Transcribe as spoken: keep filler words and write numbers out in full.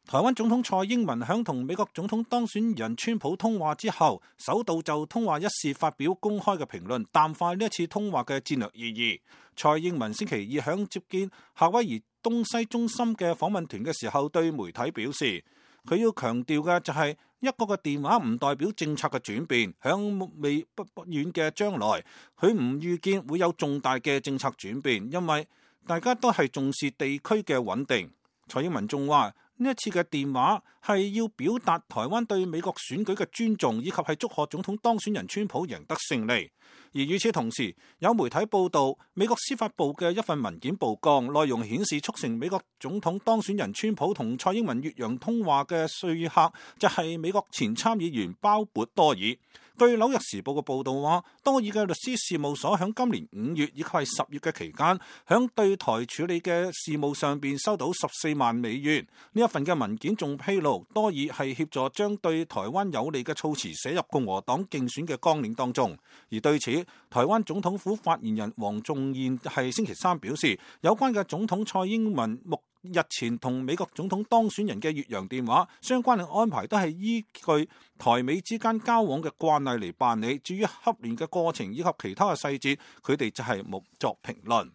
台灣總統蔡英文響同美國總統當選人川普通話之後，首度就通話一事發表公開嘅評論，淡化呢一次通話嘅戰略意義。蔡英文星期二響接見夏威夷東西中心嘅訪問團嘅時候，對媒體表示，佢要強調嘅就係一個個電話唔代表政策嘅轉變，響未不不遠嘅將來，佢唔預見會有重大嘅政策轉變，因為大家都係重視地區嘅穩定。蔡英文仲話，呢一次嘅電話係要表達台灣對美國選舉嘅尊重，以及係祝賀總統當選人川普贏得勝利。而與此同時，有媒體報道，美國司法部嘅一份文件曝光，內容顯示促成美國總統當選人川普同蔡英文越洋通話嘅說客就係美國前參議員鮑勃多爾。據紐約時報嘅報道話，多爾嘅律師事務所響今年五月以及係十月嘅期間，響對台處理嘅事務上邊收到十四萬美元。呢一份嘅文件仲披露，多爾係協助將對台灣有利嘅措辭寫入共和黨競選嘅綱領當中。而對此，台灣總統府發言人黃仲彥係星期三表示，有關嘅總統蔡英文目日前同美國總統當選人嘅越洋電話相關嘅安排都係依據台美之間交往嘅慣例嚟辦理，至於洽聯嘅過程以及其他嘅細節，佢哋就係冇作評論。